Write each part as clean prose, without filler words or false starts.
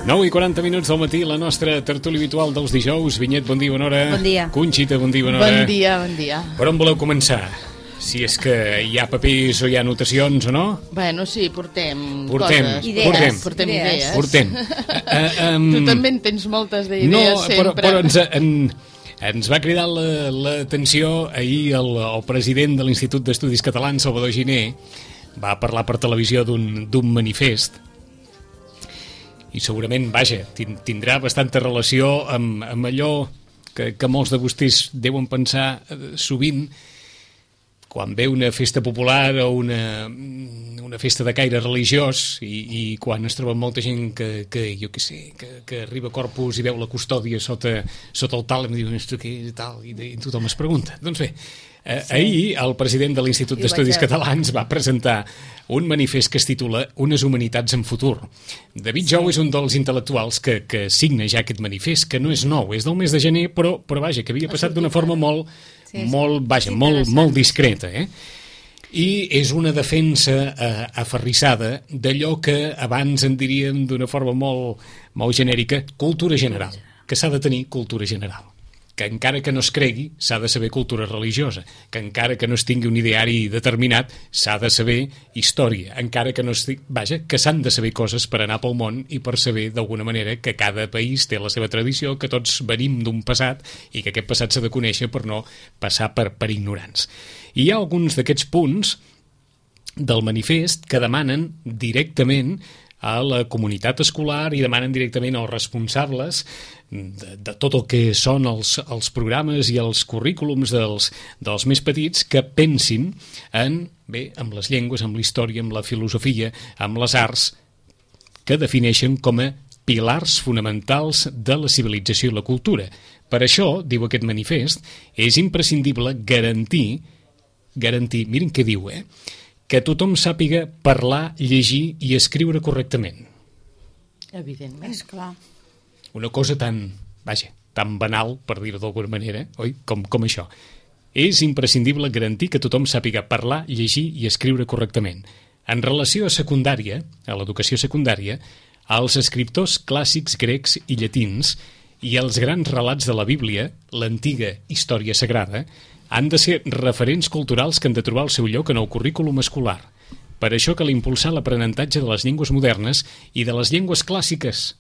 9:40 del matí, la nostra tertúlia habitual dels dijous. Vinyet, bon dia, bona hora. Bon dia. Conxita, bon dia, bona hora. Bon dia, bon dia. Per on voleu començar? Si és que hi ha papers o hi ha anotacions o no? Bueno, sí, portem Portem coses. Idees. Portem idees. Portem. Tu també en tens moltes d'idees sempre. Però ens va cridar l'atenció ahir el president de l'Institut d'Estudis Catalans, Salvador Giner, va parlar per televisió d'un manifest i segurament, vaja, tindrà bastanta relació amb allò que molts de vostès deuen pensar sovint quan ve una festa popular o una festa de caire religiós i quan es troba molta gent que arriba a Corpus i veu la custòdia sota el tal i diu, què tal? I tothom es pregunta. Doncs bé, ahir el president de l'Institut d'Estudis Catalans va presentar un manifest que es titula Unes humanitats en futur. David Jou és un dels intel·lectuals que signa ja aquest manifest, que no és nou, és del mes de gener, però vaja, que havia passat d'una forma molt discreta, I és una defensa aferrissada d'allò que abans en diríem d'una forma molt genèrica, cultura general, que s'ha de tenir cultura general, que encara que no es cregui s'ha de saber cultura religiosa, que encara que no es tingui un ideari determinat s'ha de saber història, encara que no es que s'han de saber coses per anar pel món i per saber d'alguna manera que cada país té la seva tradició, que tots venim d'un passat i que aquest passat s'ha de conèixer per no passar per ignorants. I hi ha alguns d'aquests punts del manifest que demanen directament a la comunitat escolar i demanen directament als responsables de tot el que són els programes i els currículums dels més petits que pensin amb les llengües, amb la història, amb la filosofia, amb les arts, que defineixen com a pilars fonamentals de la civilització i la cultura. Per això, diu aquest manifest, és imprescindible garantir, miren què diu, que tothom sàpiga parlar, llegir i escriure correctament. Evidentment. És clar. Una cosa tan banal, per dir-ho d'alguna manera, oi? Com això. És imprescindible garantir que tothom sàpiga parlar, llegir i escriure correctament. En relació a secundària, a l'educació secundària, als escriptors clàssics grecs i llatins i els grans relats de la Bíblia, l'antiga història sagrada, han de ser referents culturals que han de trobar el seu lloc en el currículum escolar. Per això cal impulsar l'aprenentatge de les llengües modernes i de les llengües clàssiques.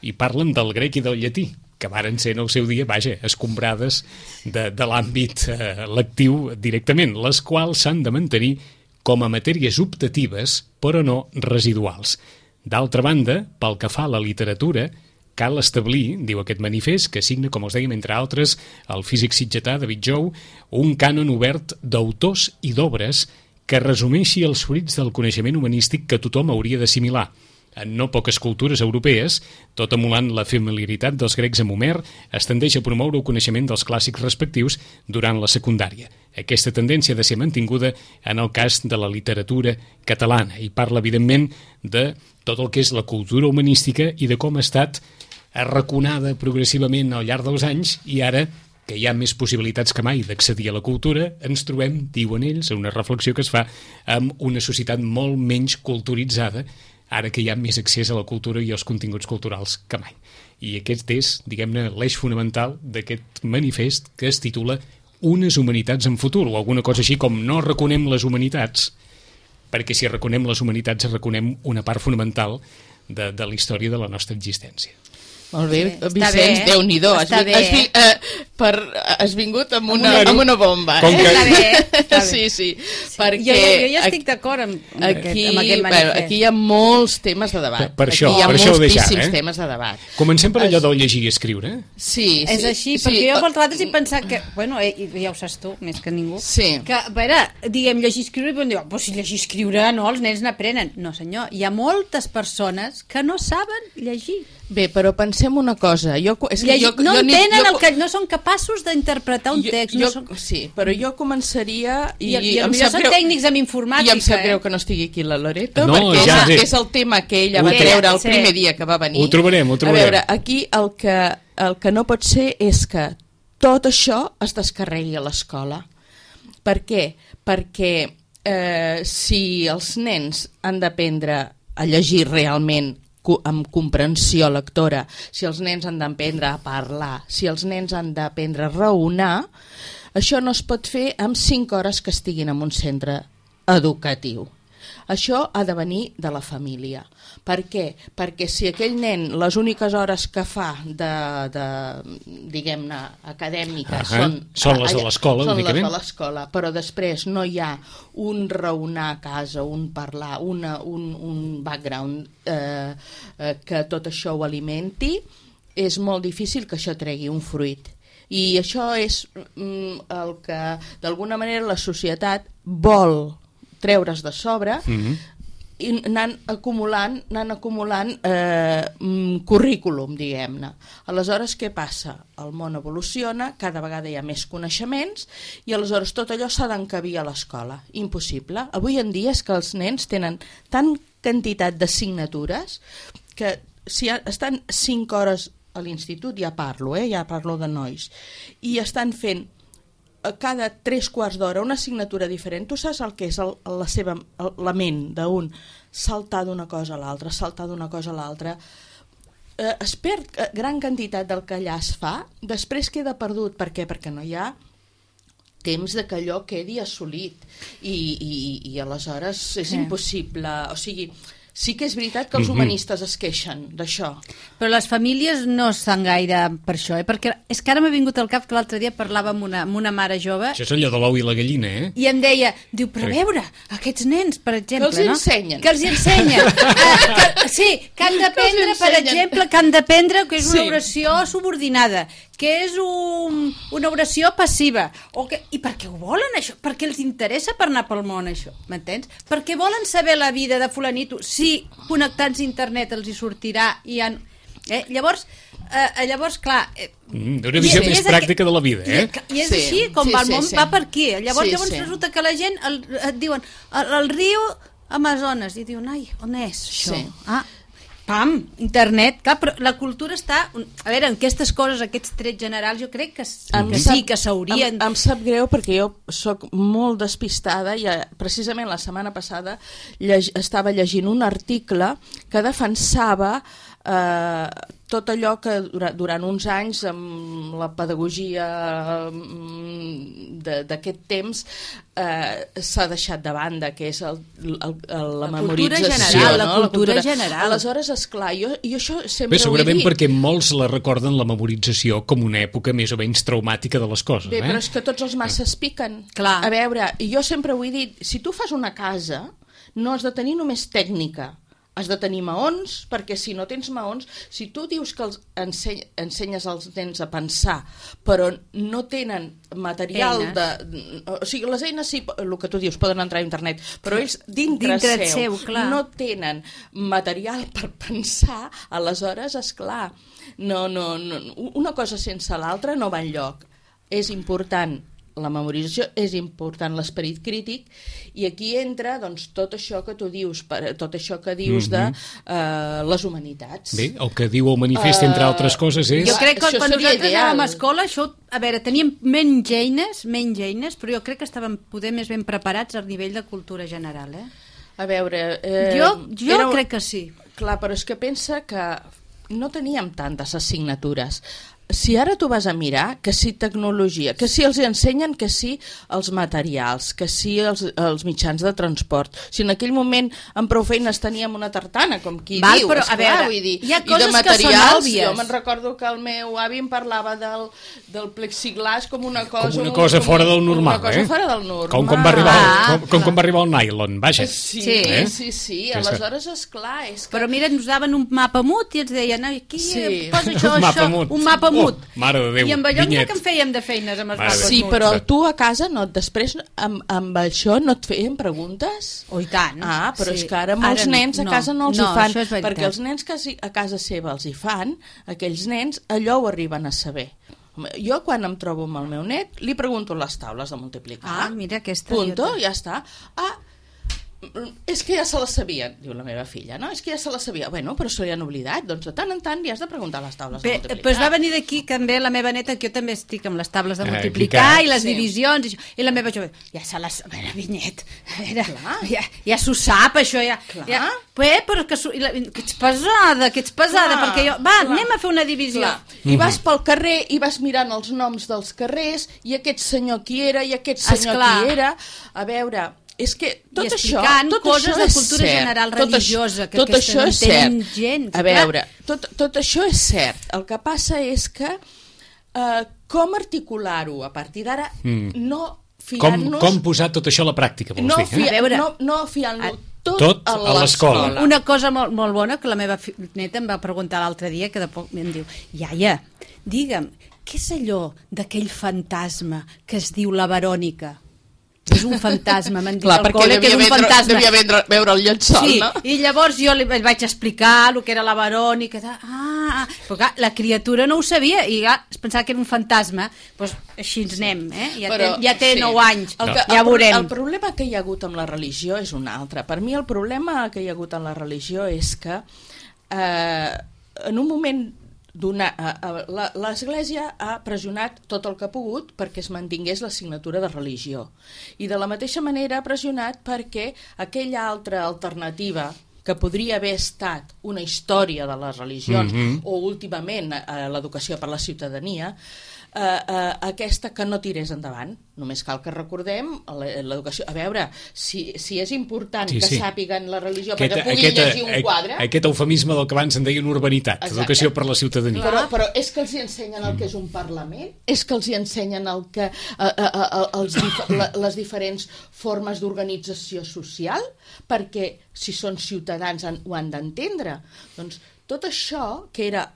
I parlen del grec i del llatí, que varen ser en el seu dia, escombrades de l'àmbit lectiu directament, les quals s'han de mantenir com a matèries optatives, però no residuals. D'altra banda, pel que fa a la literatura, cal establir, diu aquest manifest, que signa, com us dèiem, entre altres, el físic sitgetà David Jou, un cànon obert d'autors i d'obres que resumeixi els fruits del coneixement humanístic que tothom hauria d'assimilar. En no poques cultures europees, tot emulant la familiaritat dels grecs amb Homer, es tendeix a promoure el coneixement dels clàssics respectius durant la secundària. Aquesta tendència ha de ser mantinguda en el cas de la literatura catalana i parla, evidentment, de tot el que és la cultura humanística i de com ha estat arraconada progressivament al llarg dels anys i ara, que hi ha més possibilitats que mai d'accedir a la cultura, ens trobem, diuen ells, una reflexió que es fa amb una societat molt menys culturitzada, ara que hi ha més accés a la cultura i als continguts culturals que mai. I aquest és, diguem-ne, l'eix fonamental d'aquest manifest que es titula Unes humanitats en futur, o alguna cosa així com no reconem les humanitats, perquè si reconem les humanitats reconem una part fonamental de la història de la nostra existència. Molt bé, Vicenç, Déu-n'hi-do, has vingut amb una bomba. Està bé. Sí. Perquè jo ja estic d'acord amb aquest manifest. Aquí hi ha molts temes de debat. Per això hi ha ho moltíssims temes de debat. Comencem per allò del llegir i escriure. Sí. És així, perquè jo per altres he pensat que, bueno, ja ho saps tu, més que ningú, que, a veure, diguem, llegir i escriure, i podem dir, però si llegir i escriure, no, els nens n'aprenen. No, senyor, hi ha moltes persones que no saben llegir. Bé, però pensem una cosa. No són capaços d'interpretar un text. Sí, però jo començaria... I són tècnics en informàtica. I em sap greu que no estigui aquí la Loreto, perquè és el tema que ella va treure el primer dia que va venir. Ho trobarem. A veure, aquí el que no pot ser és que tot això es descarregui a l'escola. Per què? Perquè si els nens han d'aprendre a llegir realment amb comprensió lectora, si els nens han d'aprendre a parlar, si els nens han d'aprendre a raonar, això no es pot fer amb 5 hores que estiguin en un centre educatiu. Això ha de venir de la família. Per què? Perquè si aquell nen les úniques hores que fa diguem-ne, acadèmiques són les de l'escola, són les de l'escola, però després no hi ha un raonar a casa, un parlar, un background que tot això ho alimenti, és molt difícil que això tregui un fruit. I això és el que d'alguna manera la societat vol treure's de sobre i anant acumulant currículum, diguem-ne. Aleshores, què passa? El món evoluciona, cada vegada hi ha més coneixements i aleshores tot allò s'ha d'encabir a l'escola. Impossible. Avui en dia és que els nens tenen tant quantitat d'assignatures que si estan 5 hores a l'institut, ja parlo de nois, i estan fent cada 3/4 d'hora una assignatura diferent. Tu saps el que és la ment d'un saltar d'una cosa a l'altra, es perd gran quantitat del que allà es fa, després queda perdut. Per què? Perquè no hi ha temps de que allò quedi assolit i aleshores és impossible. O sigui, sí que és veritat que els humanistes es queixen d'això. Però les famílies no estan gaire per això, perquè és que ara m'ha vingut al cap que l'altre dia parlava amb una mare jove. Això és allò de l'ou i la gallina, I em deia, però a veure, aquests nens, per exemple... Que els ensenyen. Que els ensenyen. Que han d'aprendre, per exemple, que és una oració subordinada, que és una oració passiva. I per què ho volen, això? Perquè els interessa per anar pel món, això, m'entens? Perquè volen saber la vida de fulanito, si connectats a internet els hi sortirà i han... Llavors, clar... Una visió més pràctica de la vida, I és així, com va el món, va per aquí. Llavors resulta que la gent et diuen el riu Amazones, i diuen, ai, on és això? Pam, internet, clar, però la cultura està... A veure, en aquestes coses, aquests trets generals, jo crec que sí, que s'haurien... Em sap greu perquè jo sóc molt despistada i precisament la setmana passada estava llegint un article que defensava tot allò que durant uns anys amb la pedagogia d'aquest temps s'ha deixat de banda, que és la memorització. La cultura general. Aleshores, esclar, jo això sempre segurament perquè molts la recorden, la memorització, com una època més o menys traumàtica de les coses. Bé, però és que tots els masses piquen. Clar. A veure, jo sempre ho he dit, si tu fas una casa, no has de tenir només tècnica, has de tenir maons, perquè si no tens maons, si tu dius que ensenyes als nens a pensar, però no tenen material o sigui, les eines sí, el que tu dius, poden entrar a internet, però ells dintre seu no tenen material per pensar, aleshores, esclar, una cosa sense l'altra no va enlloc. És important la memorització, és important l'esperit crític, i aquí entra doncs, tot això que tu dius, de les humanitats. Bé, el que diu el manifest, entre altres coses, és... Jo crec que quan nosaltres anàvem a escola, això, a veure, teníem menys eines, però jo crec que estàvem poder més ben preparats al nivell de cultura general, A veure... Jo crec que sí. Clar, però és que pensa que no teníem tantes assignatures. Si ara tu vas a mirar, que si tecnologia, que si els ensenyen, que si els materials, que si els mitjans de transport. Si en aquell moment amb prou feines teníem una tartana, com qui diu, però, esclar, vull dir, hi ha coses que són òbvies. Jo me'n recordo que el meu avi em parlava del plexiglàs com una cosa... Com una cosa fora del normal, Una cosa fora del normal. Com quan va arribar el nylon, vaja. Sí. Aleshores, esclar, és que... Però mira, ens daven un mapa mut i ens deien, aquí posa això, un mapa mut. Mare de Déu, I amb allò que en fèiem de feines amb els mapes muts. Sí, però tu a casa després amb això no et feien preguntes? I tant. Però és que ara molts nens a casa no els hi fan, perquè els nens que a casa seva els hi fan, aquells nens allò ho arriben a saber. Jo quan em trobo amb el meu net li pregunto les taules de multiplicar. Mira aquesta. Punto, ja està. és que ja se la sabien, diu la meva filla, no? És que ja se la sabia. Bueno, però se li han oblidat, doncs de tant en tant li has de preguntar a les taules de multiplicar. Doncs va venir d'aquí també la meva neta, que jo també estic amb les taules de multiplicar i les divisions, i la meva jove, ja se les... A veure, Vinyet, ja s'ho sap, això, ja... Però que ets pesada, perquè jo... Va, anem a fer una divisió. I vas pel carrer i vas mirant els noms dels carrers, i aquest senyor qui era, i aquest senyor qui era... A veure... És que tot això coses de cultura general religiosa que això no tenen gens. A veure, tot això és cert. El que passa és que com articular-ho a partir d'ara, no fiant-nos... Com posar tot això a la pràctica, vols dir? No fiant-lo tot a l'escola. Una cosa molt bona que la meva neta em va preguntar l'altre dia, que de poc em diu, iaia, digue'm, què és allò d'aquell fantasma que es diu la Verònica? És un fantasma, m'han dit al col·le que és un fantasma. Devia veure el llençol, no? I llavors jo li vaig explicar el que era la Verònica. Però clar, la criatura no ho sabia i es pensava que era un fantasma. Doncs així ens anem, ja té 9 anys, ja veurem. El problema que hi ha hagut amb la religió és un altre. Per mi el problema que hi ha hagut amb la religió és que en un moment l'Església ha pressionat tot el que ha pogut perquè es mantingués l'assignatura de religió, i de la mateixa manera ha pressionat perquè aquella altra alternativa que podria haver estat una història de les religions o últimament l'educació per la ciutadania, aquesta que no tirés endavant. Només cal que recordem l'educació. A veure, si és important que sàpiguen la religió perquè puguin llegir un quadre... Aquest eufemisme del que abans en deien urbanitat, educació per la ciutadania. Però és que els hi ensenyen el que és un Parlament? És que els hi ensenyen les diferents formes d'organització social? Perquè si són ciutadans ho han d'entendre. Doncs tot això, que era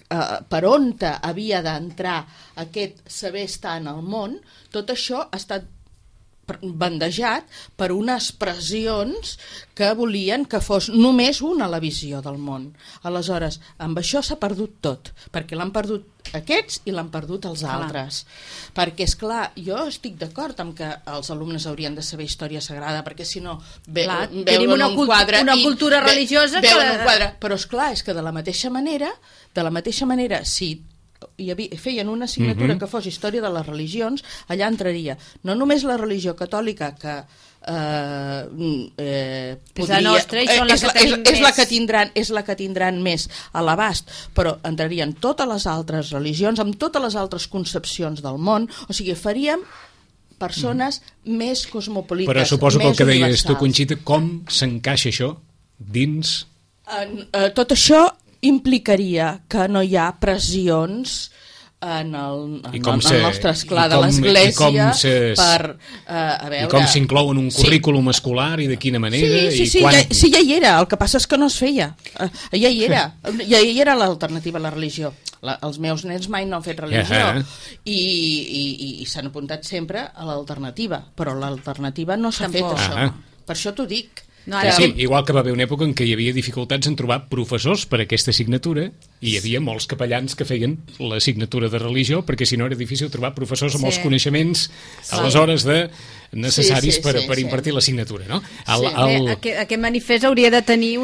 per on havia d'entrar aquest saber estar en el món, tot això ha estat bandejat per unes pressions que volien que fos només una la visió del món. Aleshores, amb això s'ha perdut tot, perquè l'han perdut aquests i l'han perdut els altres. Perquè, esclar, jo estic d'acord amb que els alumnes haurien de saber història sagrada, perquè si no veuen un quadre una cultura religiosa veuen un quadre. Però, esclar, és que de la mateixa manera, si feien una assignatura que fos història de les religions, allà entraria no només la religió catòlica, que és la que tindran més a l'abast, però entrarien totes les altres religions amb totes les altres concepcions del món. O sigui, faríem persones més cosmopolites, però suposo que el que deies tu, Conxita, com s'encaixa això dins... Tot això implicaria que no hi ha pressions en el nostre esclar de l'Església per veure... I com s'inclou en un currículum escolar i de quina manera? Sí, ja hi era, el que passa és que no es feia. Ja hi era l'alternativa a la religió. Els meus nens mai no han fet religió i s'han apuntat sempre a l'alternativa, però l'alternativa no s'ha fet, això. Per això t'ho dic. Igual que va haver una època en què hi havia dificultats en trobar professors per a aquesta assignatura i hi havia molts capellans que feien l'assignatura de religió, perquè si no era difícil trobar professors amb els coneixements aleshores necessaris per impartir l'assignatura, no? Aquest manifest hauria de tenir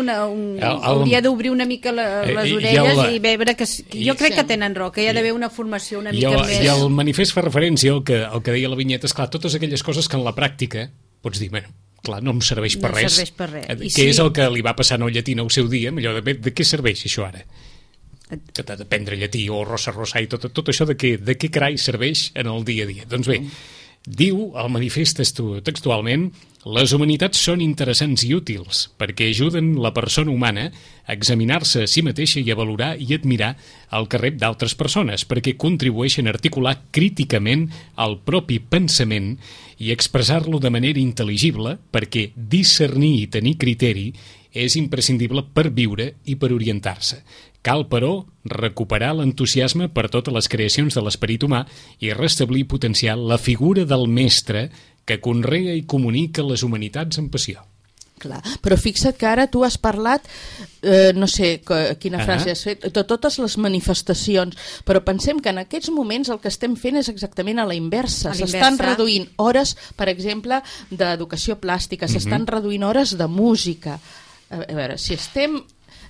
hauria d'obrir una mica les orelles i veure que jo crec que tenen raó, que hi ha d'haver una formació una mica més... I el manifest fa referència al que deia la Vinyeta, esclar, totes aquelles coses que en la pràctica pots dir, bueno, clar, no em serveix per res. Què és el que li va passar a Llatina al seu dia? Allò de què serveix això ara? Que t'ha d'aprendre llatí o rosa i tot això de què carai serveix en el dia a dia? Doncs bé, diu el manifest textualment: les humanitats són interessants i útils perquè ajuden la persona humana a examinar-se a si mateixa i a valorar i admirar el que rep d'altres persones, perquè contribueixen a articular críticament el propi pensament i expressar-lo de manera intel·ligible, perquè discernir i tenir criteri és imprescindible per viure i per orientar-se. Cal, però, recuperar l'entusiasme per totes les creacions de l'esperit humà i restablir i potenciar la figura del mestre que conrea i comunica les humanitats amb passió. Clar, però fixa't que ara tu has parlat, no sé quina frase has fet, de totes les manifestacions, però pensem que en aquests moments el que estem fent és exactament a la inversa. S'estan reduint hores, per exemple, d'educació plàstica, s'estan reduint hores de música. A veure, si estem...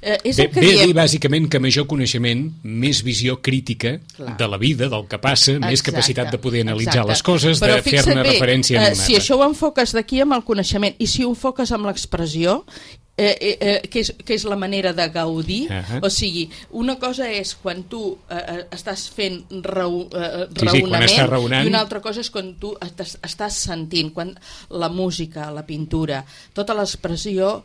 Ve a dir bàsicament que major coneixement, més visió crítica de la vida, del que passa, més capacitat de poder analitzar les coses, de fer-ne referència a una. Si això ho enfoques d'aquí amb el coneixement i si ho enfoques amb l'expressió, que és la manera de gaudir, o sigui, una cosa és quan tu estàs fent raonament i una altra cosa és quan tu estàs sentint, quan la música, la pintura, tota l'expressió,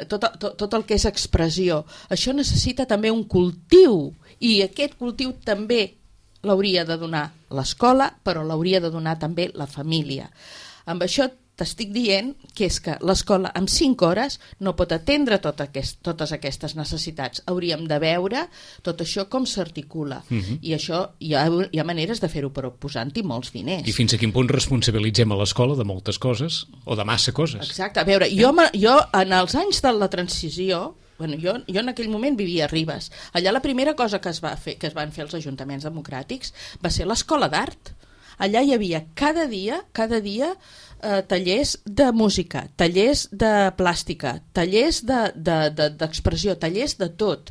tot el que és expressió, això necessita també un cultiu, i aquest cultiu també l'hauria de donar l'escola, però l'hauria de donar també la família. Amb això t'estic dient que és que l'escola amb 5 hores no pot atendre totes aquestes necessitats. Hauríem de veure tot això com s'articula, i això hi ha maneres de fer-ho, però posant-hi molts diners. I fins a quin punt responsabilitzem a l'escola de moltes coses o de massa coses? Exacte, a veure, jo en els anys de la transició, jo en aquell moment vivia a Ribes. Allà la primera cosa que es van fer els ajuntaments democràtics va ser l'escola d'art. Allà hi havia cada dia tallers de música, tallers de plàstica, tallers d'expressió, tallers de tot.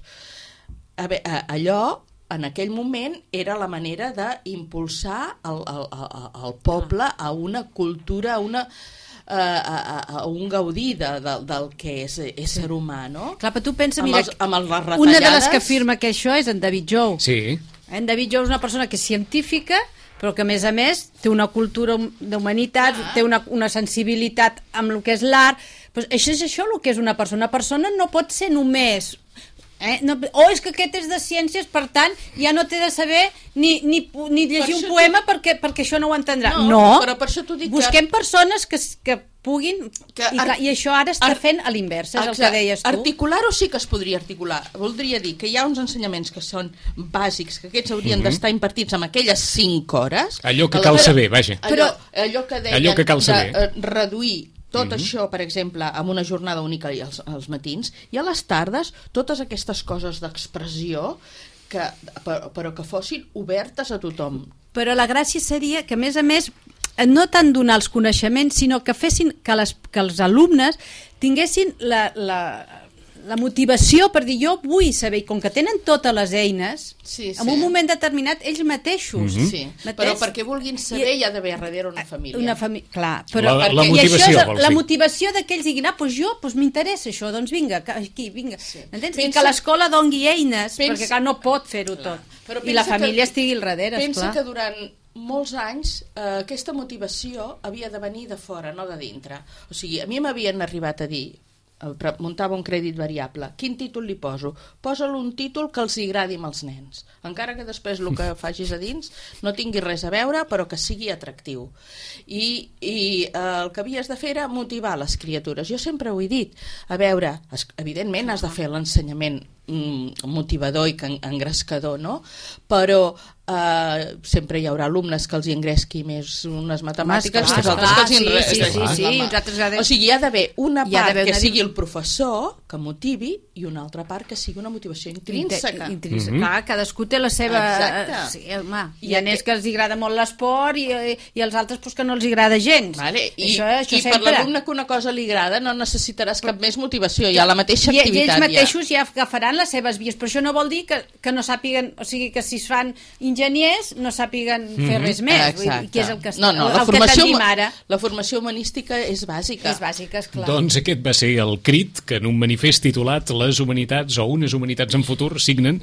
Allò, en aquell moment, era la manera d'impulsar el poble a una cultura, a un gaudir del que és ésser humà, no? Clar, però tu pensa, mira, una de les que afirma que això és en David Jou. Sí. En David Jou és una persona que és científica, però que a més té una cultura d'humanitat, té una sensibilitat amb el que és l'art. Pues això és el que és una persona. Una persona no pot ser només... o és que aquest és de ciències, per tant ja no té de saber ni llegir un poema perquè això no ho entendrà. No, però per això t'ho dic, busquem persones que puguin, i això ara està fent a l'inversa, és el que deies tu. Articular-ho sí que es podria articular. Voldria dir que hi ha uns ensenyaments que són bàsics, que aquests haurien d'estar impartits en aquelles 5 hores. Allò que cal saber, vaja. Allò que deien que cal saber. De reduir tot això, per exemple, amb una jornada única als matins, i a les tardes totes aquestes coses d'expressió, però que fossin obertes a tothom. Però la gràcia seria que, a més, no tant donar els coneixements, sinó que fessin que els alumnes tinguessin la motivació per dir, jo vull saber, i com que tenen totes les eines, en un moment determinat ells mateixos. Però perquè vulguin saber hi ha d'haver darrere una família. Clar, però la motivació, la motivació que ells diguin, m'interessa això, doncs vinga, aquí, vinga. I que l'escola dongui eines, perquè clar, no pot fer-ho tot. I la família estigui al darrere, esclar. Pensa que durant molts anys aquesta motivació havia de venir de fora, no de dintre. O sigui, a mi m'havien arribat a dir, muntava un crèdit variable, quin títol li poso? Posa-li un títol que els agradi amb els nens, encara que després el que facis a dins no tingui res a veure, però que sigui atractiu. I el que havies de fer era motivar les criatures. Jo sempre ho he dit, a veure, evidentment has de fer l'ensenyament motivador i engrescador, no? Però sempre hi haurà alumnes que els engresqui més unes matemàtiques, que altres que els o sigui, hi ha d'haver una part que sigui el professor que motivi i una altra part que sigui una motivació intrínseca. Clar, cadascú té la seva... Hi ha nens que els agrada molt l'esport i els altres que no els agrada gens. I per l'alumne que una cosa li agrada no necessitaràs cap més motivació, hi ha la mateixa activitat. I ells mateixos ja agafaran les seves vies, però això no vol dir que no sàpiguen, o sigui, que si es fan enginyers no sàpiguen fer res més, que és el que tenim ara. La formació humanística és bàsica. És bàsica, esclar. Doncs aquest va ser el crit que en un manifest titulat Les humanitats o unes humanitats en futur signen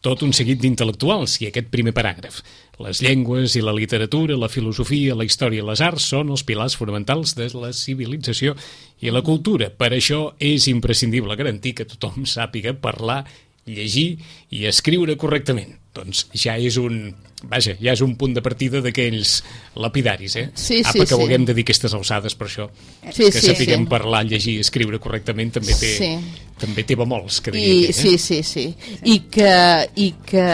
tot un seguit d'intel·lectuals, i aquest primer paràgraf. Les llengües i la literatura, la filosofia, la història i les arts són els pilars fonamentals de la civilització i la cultura. Per això és imprescindible garantir que tothom sàpiga parlar, llegir i escriure correctament. Doncs ja és un punt de partida d'aquells lapidaris, que ho haguem de dir aquestes alçades per això. Que sapiguem parlar, llegir i escriure correctament també té bemols, que diria. Sí. I que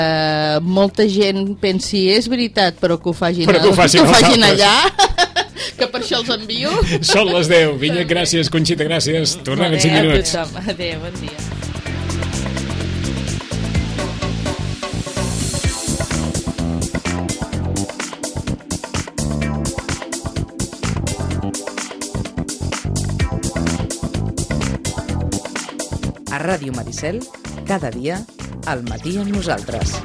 molta gent pensi és veritat, però que ho facin allà. que per això els envio. Són les 10. Vinyet, gràcies. Conxita, gràcies. Tornem en 5 minuts. Adéu, bon dia. A Ràdio Maricel, cada dia, al matí amb nosaltres.